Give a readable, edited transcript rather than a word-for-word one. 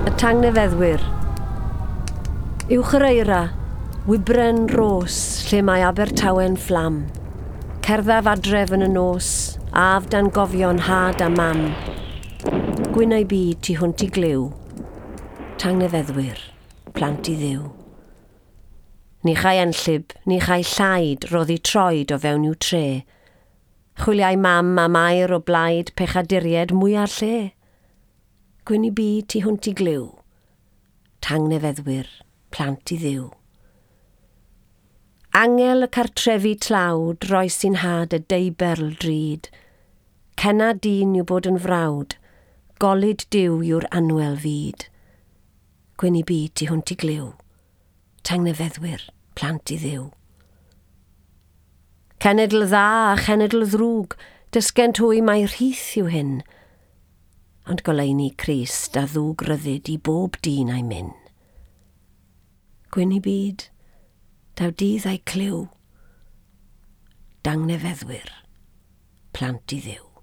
Y tangnefeddwyr. Uwch yr eira, wybren ros lle mae Abertawe'n fflam. Cerddaf adref yn y nos, af dan gofion had a mam. Gwynau byd tu hwnt i glyw. Tangnefeddwyr, plant i ddiw. Ni chai enllib, ni chai llaid roddi troed o fewn i'w tre. Chwiliai mam am air o blaid pechaduried mwya'r lle. Gwyn i byd tu hwnt i glyw. Tangnefeddwyr, plant i ddiw. Angel y cartrefi tlawd roes i'n had y deiberl drud. Cenna dyn yw bod yn frawd, golud Duw yw'r anwel fyd. Gwyn i byd tu hwnt i glyw. Tangnefeddwyr, plant i ddiw. Cenedl dda a chenedl ddrwg, dysgent hwy mai rhith yw hyn. Ond goleuni Crist a ddwg ryddid i bob dyn a'i myn. Gwyn i byd, daw dydd a'i clyw. Dangnefeddwyr, plant i ddiw.